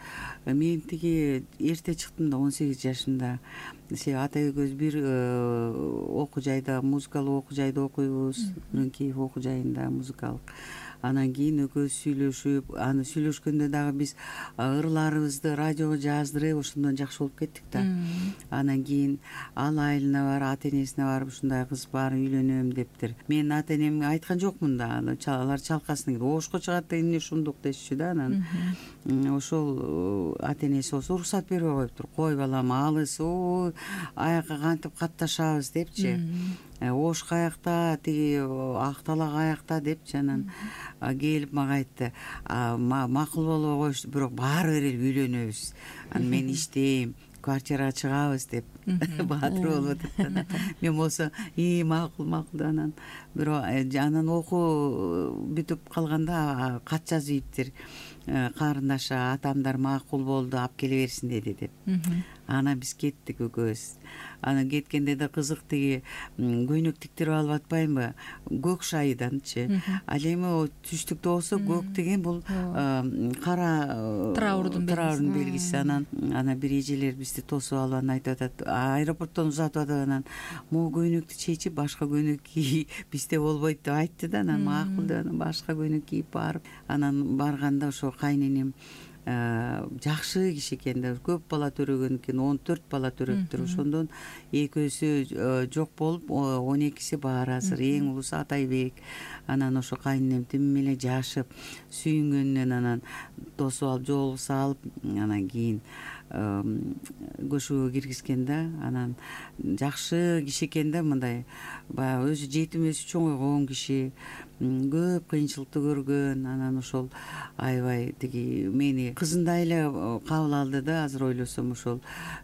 Мен тиги эрте чыктым да, он сегиз жашымда. Себеби ата экөөбүз бир окуу жайда, музыкалык окуу жайда окуйбуз, Үрүнкиев окуу жайында музыкалык. Анан кийин экөөбүз сүйлөшүп, аны сүйлөшкөндө дагы биз ырларыбызды радиого жаздырып, ошондон жакшы болуп кеттик да. Анан кийин ал айылына барып, ата энесине барып, ушундай кыз бар, үйлөнөм дептир. Мен ата энемге айткан жокмун да, алар чалкасын ошко чыгат деген эмне ушундук дешчү да. Анан ошол ата энеси болсо уруксат бербей коюптур. Кой балам, алыс, ой, аякка кантип катташабыз депчи. Ош каякта, тиги Актала каякта депчи. Анан келип мага айтты, макул болбой коюшту, бирок баары бир эле үйлөнөбүз. Анан мен иштейм, квартирага чыгабыз деп баатыр болуп атат. Мен болсо и макул макул. Анан бирок анан окуу бүтүп калганда кат жазып ийиптир. Карындашы атамдар макул болду, алып келе берсин деди деп. Анан биз кеттик экөөбүз. Анан кеткенде да кызык, тиги көйнөк тиктирип алып атпаймынбы, көк шайданчы. Ал эми түштүктө болсо көк деген бул кара траурдун белгиси. Анан ана бир эжелер бизди тосуп алып анан айтып атат, аэропорттон узатып атат. Анан могу көйнөктү чечип, башка көйнөк кий, бизде болбойт деп айтты да. Анан макул деп анан башка көйнөк кийип барып, анан барганда ошо кайненем жакшы киши экен да, көп бала төрөгөн экен, он төрт бала төрөптүр. Ошондон экөөсү жок болуп, он экиси бар азыр. Эң улусу Атайбек. Анан ошо кайненем тим эле жашып, сүйүнгөнүнөн анан тосуп алып, жолугуса алып, анан кийин көшөгө киргизген да. Анан жакшы киши экен да, мындай баягы өзү жетим өсүп чоңойгон киши, көп кыйынчылыкты көргөн. Анан ошол аябай тиги мени кызындай эле кабыл алды да. Азыр ойлосом ошол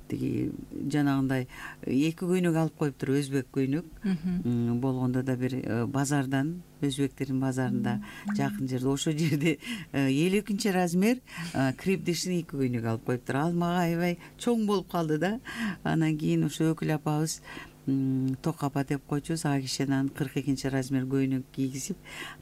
тиги жанагындай эки көйнөк алып коюптур, өзбек көйнөк болгондо да бир базардан, өзбектердин базарында жакын жерде, ошол жерде элүү экинчи размер крепдишин эки көйнөк алып коюптур. Ал мага аябай чоң болуп калды да. Анан кийин ошо өкүл апабыз Ток апа деп койчубуз, ага киши анан кырк экинчи размер көйнөк кийгизип,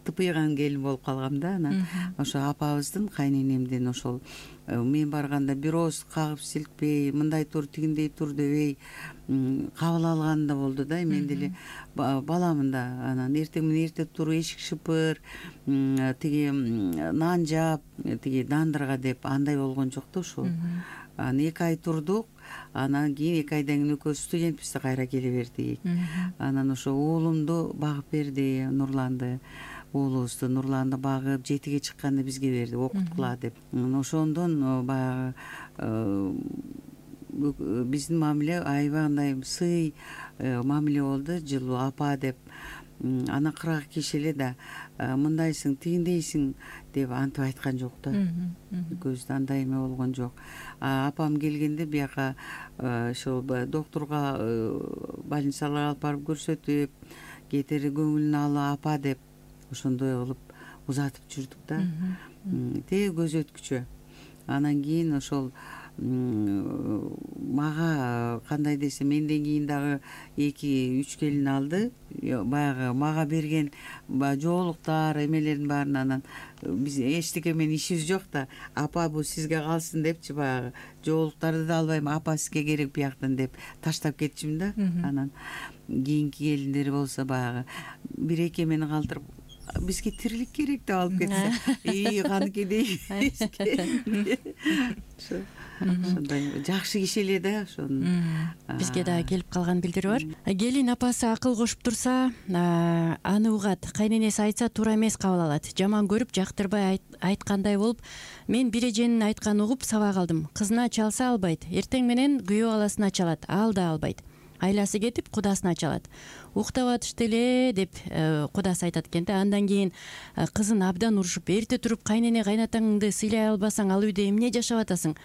тыпыйган келин болуп калгам да. Анан ошо апабыздын, кайненемдин ошол мен барганда бир ооз кагып силкпей, мындай тур, тигиндей тур дебей кабыл алган да болду да. Мен деле баламын да. Анан эртең менен эрте тур, эшик шыпыр, тиги нан жап, тиги дандырга деп андай болгон жок да ошол. Анан эки ай турдук. Анан кийин эки айдан кийин экөөбүз студентбиз да кайра келе бердик. Анан ошо уулумду багып берди, Нурланды. Уулубузду Нурланды багып, жетиге чыкканда бизге берди, окуткула деп. Ошондон баягы биздин мамиле аябай андай сый мамиле болду, жылуу апа деп. Анан кыргак киши эле да мындайсың, тигиндейсиң деп антип айткан жок да. Көздө андай эме болгон жок. Апам келгенде бияка ошол докторго, больницаларга алып барып көрсөтүп, кетери көңүлүн алып апа деп ошондой кылып узатып жүрдүк да. Теги көз өткүчө. Анан кийин ошол мага кандай десем менден кийин дагы эки үч келин алды. Баягы мага берген баягы жоолуктар эмелердин баарын анан биз эчтеке менен ишибиз жок да, апа бул сизге калсын депчи баягы жоолуктарды да албайм, апа сизге керек бияктан деп таштап кетчүмүн да. Анан кийинки келиндер болсо баягы бир эки эмени калтырып бизге тирилик керек деп алып кетсе, ии каныкидей ошондой жакшы киши эле да. Ошону бизге дагы келип калган билдирүү бар. Келин апасы акыл кошуп турса, аны угат, кайненеси айтса туура эмес кабыл алат. Жаман көрүп, жактырбай айткандай болуп, мен бир эженин айтканын угуп сабак алдым. Кызына чалса албайт, эртең менен күйөө баласына чалат, ал да албайт. Айласы кетип кудасына чалат. Уктап атышты эле деп кудасы айтат экен да. Андан кийин кызын абдан урушуп, эрте туруп кайнене кайнатаңды сыйлай албасаң ал үйдө эмне жашап атасың?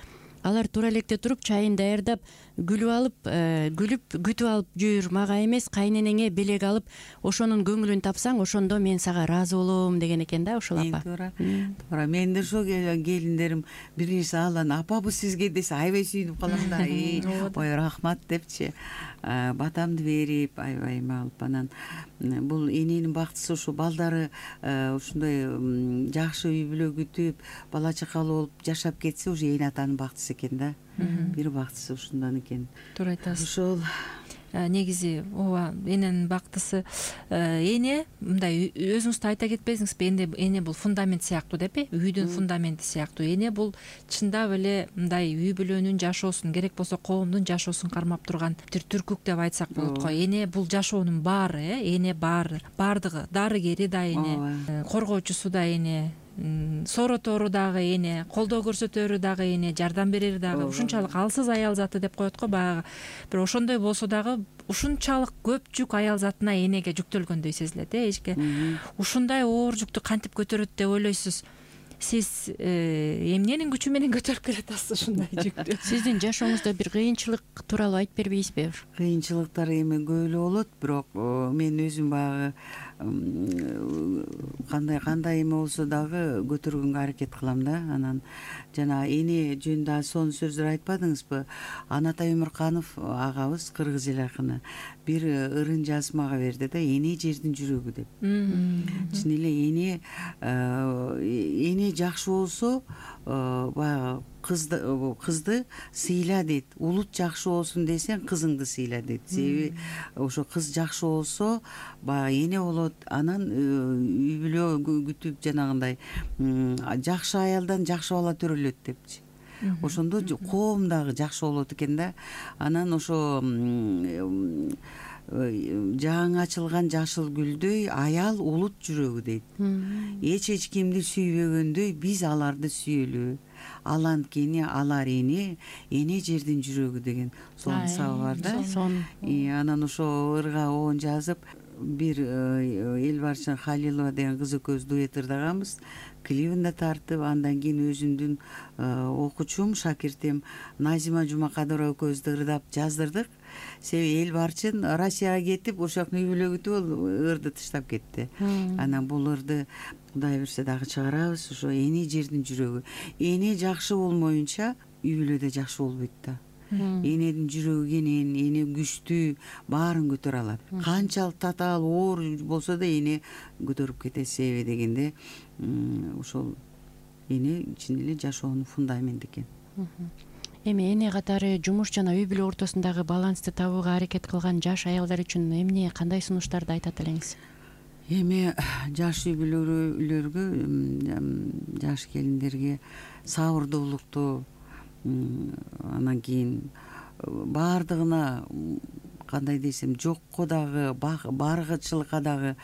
Алар туура электе туруп чайын даярдап, күлүп алып, күлүп күтүп алып жүр, мага эмес кайненеңе белек алып, ошонун көңүлүн тапсаң, ошондо мен сага ыраазы болом деген экен да ошол апа. Туура. Туура. Мен да ошо келиндерим бир нерсе алан, апа бу сизге десе аябай сүйүнүп калам да. Ой, рахмат депчи, батамды берип, аябай эме алып, анан бул эненин бактысы ушу балдары ушундай жакшы үй бүлө күтүп, бала чакалуу болуп жашап кетсе, уже эне атанын бактысы экен да. Бир бактысы ушундан экен. Туура айтасыз. Ошол негизи ооба, эненин бактысы. Эне мындай өзүңүз да айта кетпесиңизби, эне эне бул фундамент сыяктуу депи, үйдүн фундаменти сыяктуу. Эне бул чындап эле мындай үй бүлөнүн жашоосун, керек болсо коомдун жашоосун кармап турган бир түркүк деп айтсак болот го. Эне бул жашоонун баары, э, эне баары, бардыгы, дарыгери да эне, коргоочусу да эне, соротору дагы эне, колдоо көрсөтөрү дагы эне, жардам берери дагы. Ушунчалык алсыз аял заты деп коет го баягы. Бир ошондой болсо дагы ушунчалык көп жүк аял затына энеге жүктөлгөндөй сезилет, э, эчке. Ушундай оор жүктү кантип көтөрөт деп ойлойсуз? Сиз эмненин күчү менен көтөрүп келатасыз ушундай жүктү? Сиздин жашооңузда бир кыйынчылык тууралуу айтып бербейсизби? Кыйынчылыктар эми көп эле болот, бирок мен өзүм баягы кандай кандай эме болсо дагы көтөргөнгө аракет кылам да. Анан жана эне жөнүндө сонун сөздөр айтпадыңызбы? Анатай Өмүрканов агабыз, кыргыз эл акыны, бир ырын жазып мага берди да, эне жердин жүрөгү деп. Чын эле эне эне жакшы болсо баягы кызды кызды сыйла дейт. Улут жакшы болсун десең, кызыңды сыйла дейт. Себеби ошо кыз жакшы болсо баягы эне болот, анан үй бүлө күтүп жанагындай жакшы аялдан жакшы бала төрөлөт депчи. Ошондо коом дагы жакшы болот экен да. Анан ошо жаңы ачылган жашыл гүлдөй аял улут жүрөгү дейт. Эч эч кимди сүйбөгөндөй биз аларды сүйөлү. Ал анткени алар эне, эне жердин жүрөгү деген сонун сабы бар да. Анан ошо ырга оон жазып, бир Элбарчын Халилова деген кыз экөөбүз дуэт ырдаганбыз. Клибин да тартып, андан кийин өзүмдүн окуучум, шакиртим Назима Жумакадырова экөөбүздү ырдап жаздырдык. Себеби Элбарчын Россияга кетип, ошол жактан үй бүлө күтүп алып ырды таштап кетти. Анан бул ырды Кудай берсе дагы чыгарабыз. Ошо эне жердин жүрөгү. Эне жакшы болмоюнча үй бүлөдө жакшы болбойт да. Эненин жүрөгү кенен, эне күчтүү, баарын көтөрө алат. Канчалык татаал, оор болсо да эне көтөрүп кетет. Себеби дегенде ошол эне чын эле жашоонун фундаменти экен. Эми эне катары жумуш жана үй бүлө ортосундагы балансты табууга аракет кылган жаш аялдар үчүн эмне, кандай сунуштарды айтат элеңиз? Эми жаш үй бүлөлөргө, жаш келиндерге сабырдуулукту, анан кийин баардыгына кандай десем, жокко дагы, баргычылыкка дагы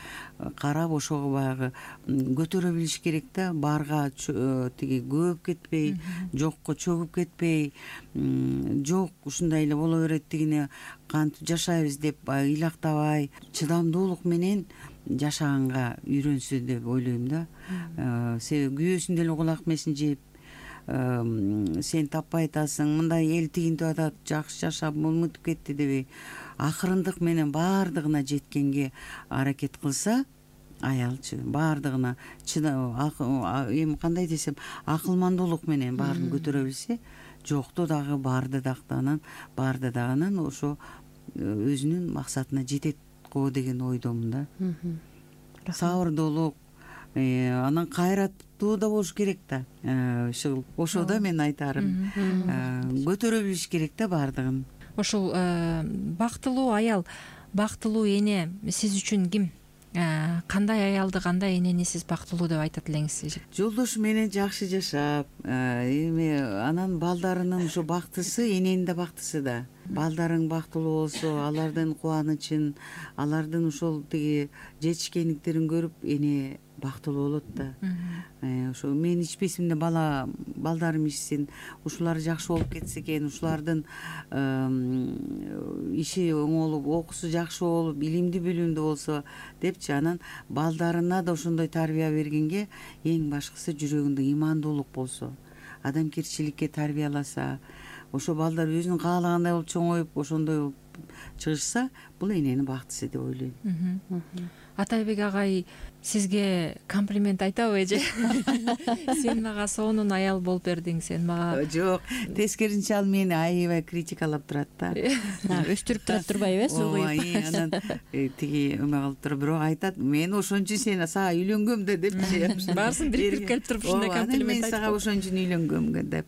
карап, ошого баягы көтөрө билиш керек да. Барга тиги көп кетпей, жокко чөгүп кетпей, жок ушундай эле боло берет тигине кантип жашайбыз деп ыйлактабай, чыдамдуулук менен жашаганга үйрөнсө деп ойлойм да. Себеби күйөөсүн деле кулак месин жеп, сен таппай атасың, мындай эл тигинтип атат, жакшы жашап мынтип кетти дебей, акырындык менен баардыгына жеткенге аракет кылса, аялчы баардыгына эми кандай десем, акылмандуулук менен баарын көтөрө билсе, жокту дагы барды дагы барды дагы ошо өзүнүн максатына жетет го деген ойдомун да. Сабырдуулук, анан кайраттуу да болуш керек да. Ушул ошодо мен айтарым, көтөрө билиш керек да бардыгын. Ошол бактылуу аял, бактылуу эне сиз үчүн ким? Кандай аялды, кандай энени сиз бактылуу деп айтат элеңиз? Жолдошу менен жакшы жашап, эми анан балдарынын ошо бактысы, эненин да бактысы да. Балдарың бактылуу болсо, алардын кубанычын, алардын ошол тиги жетишкендиктерин көрүп, эне бактылуу болот да. Ошо мен ичпесимде бала балдарым ичсин, ушулар жакшы болуп кетсе экен, ушулардын иши оңолуп, окуусу жакшы болуп, илимдүү билимдүү болсо депчи, анан балдарына да ошондой тарбия бергенге эң башкысы жүрөгүндө имандуулук болсо, адамгерчиликке тарбияласа, ошо балдар өзүнүн каалагандай болуп чоңоюп, ошондой болуп чыгышса, бул эненин бактысы деп ойлойм. Атайбек агай сизге комплимент айтабы эже? Сен мага сонун аял болуп бердиң, сен мага. Жок, тескерисинче ал мени аябай критикалап турат да. Өстүрүп турат турбайбы, суугуйуп. Анан тиги эме кылып туруп, бирок айтат, мен ошон үчүн сени сага үйлөнгөм да депчи. Баарысын бириктирип келип туруп ушундай комплимент айтып. Мен сага ошон үчүн үйлөнгөм деп.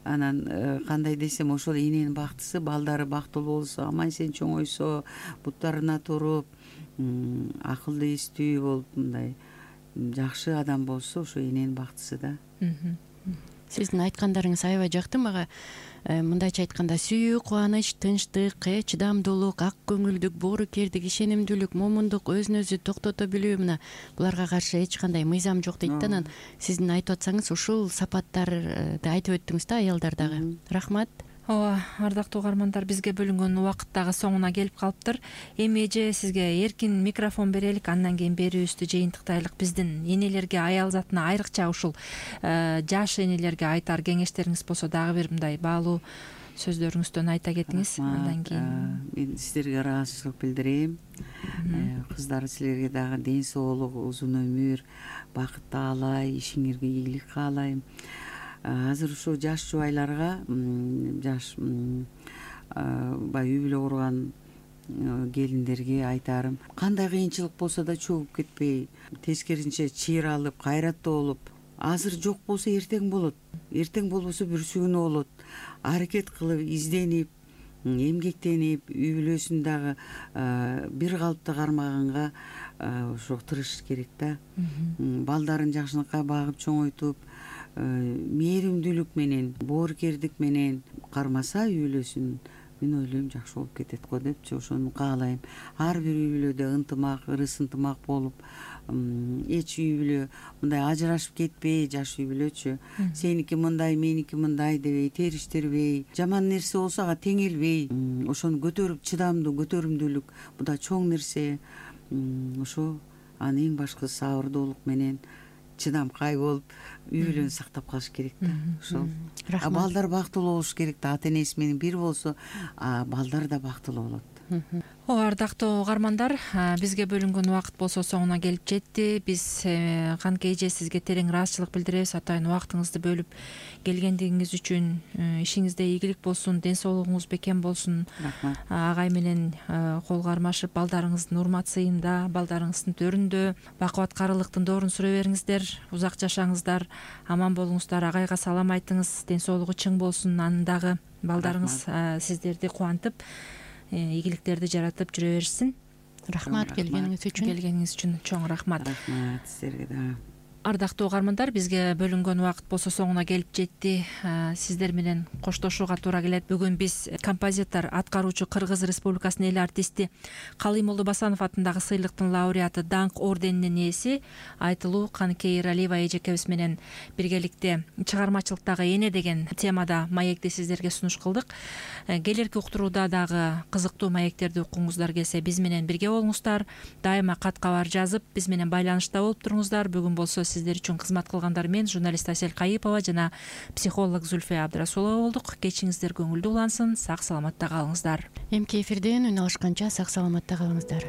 Анан кандай десем, ошол эненин бактысы, балдары бактылуу болсо, аман сен чоңойсо, буттарына туруп, акылды эстүү болуп, мындай жакшы адам болсо, ошо эненин бактысы да. Сиздин айткандарыңыз аябай жакты мага. Мындайча айтканда, сүйүү, кубаныч, тынчтык, чыдамдуулук, ак көңүлдүк, боорукердик, ишенимдүүлүк, момундук, өзүн өзү токтото билүү, мына буларга каршы эч кандай мыйзам жок дейт да. Анан сиздин айтып атсаңыз, ушул сапаттарды айтып өттүңүз да аялдардагы. Рахмат. Ооба, ардактуу угармандар, бизге бөлүнгөн убакыт дагы соңуна келип калыптыр. Эми эже сизге эркин микрофон берелик, андан кийин берүүбүздү жыйынтыктайлык. Биздин энелерге, аял затына, айрыкча ушул жаш энелерге айтар кеңештериңиз болсо дагы бир мындай баалуу сөздөрүңүздөн айта кетиңиз. Андан кийин мен сиздерге ыраазычылык билдирем. Кыздар, силерге дагы ден соолук, узун өмүр, бакыт каалай, ишиңерге ийгилик каалайм. Азыр ушул жаш жубайларга, жаш баягы үй бүлө курган келиндерге айтарым, кандай кыйынчылык болсо да чөгүп кетпей, тескерисинче чыйыр алып, кайраттуу болуп, азыр жок болсо эртең болот, эртең болбосо бүрсү күнү болот. Аракет кылып, изденип, эмгектенип, үй бүлөсүн дагы бир калыпты кармаганга ошо тырышыш керек да. Балдарын жакшылыкка багып чоңойтуп, мээримдүүлүк менен, боорукердик менен кармаса үй бүлөсүн, мен ойлойм жакшы болуп кетет го депчи, ошону каалайм. Ар бир үй бүлөдө ынтымак, ырыс ынтымак болуп, эч үй бүлө мындай ажырашып кетпей, жаш үй бүлөчү, сеники мындай, меники мындай дебей, териштирбей, жаман нерсе болсо ага теңелбей, ошону көтөрүп, чыдамдуу, көтөрүмдүүлүк, бул да чоң нерсе. Ошо анын эң башкысы сабырдуулук менен, чыдамкай болуп, үй бүлөнү сактап калыш керек да. Ошол. Балдар бактылуу болуш керек да. Ата энеси менен бир болсо, балдар да бактылуу болот. Ооба, ардактуу угармандар, бизге бөлүнгөн убакыт болсо соңуна келип жетти. Биз канке эже сизге терең ыраазычылык билдиребиз. Атайын убактыңызды бөлүп келгендигиңиз үчүн. Ишиңизде ийгилик болсун, ден соолугуңуз бекем болсун. Рахмат. Агай менен кол кармашып, балдарыңыздын урмат сыйында, балдарыңыздын төрүндө бакубаткарылыктын доорун сүрө бериңиздер. Узак жашаңыздар, аман болуңуздар. Агайга салам айтыңыз, ден соолугу чың болсун. Анын дагы балдарыңыз сиздерди кубантып, ийгиликтерди жаратып жүрө беришсин. Рахмат келгениңиз үчүн. Келгениңиз үчүн чоң рахмат. Рахмат силерге да. Ардактуу угармандар, бизге бөлүнгөн убакыт болсо соңуна келип жетти. Сиздер менен коштошууга туура келет. Бүгүн биз композитор, аткаруучу Кыргыз Республикасынын эл артисти Калыймолду Басанов атындагы сыйлыктын лауреаты, даңк орденинин ээси Айтылуу Каныкей Эралиева эжекебиз менен биргеликте чыгармачылыктагы эне деген темада маекти сиздерге сунуш кылдык. Келерки уктурууда дагы кызыктуу маектерди уккуңуздар келсе, биз менен бирге болуңуздар. Дайыма кат кабар жазып, биз менен байланышта болуп туруңуздар. Бүгүн болсо сиздер үчүн кызмат кылгандар мен, журналист Асель Кайыпова жана психолог Зульфия Абдрасулова болдук. Кечиңиздер көңүлдүү улансын, сак саламатта калыңыздар. Эмки эфирден үн алышканча сак саламатта калыңыздар.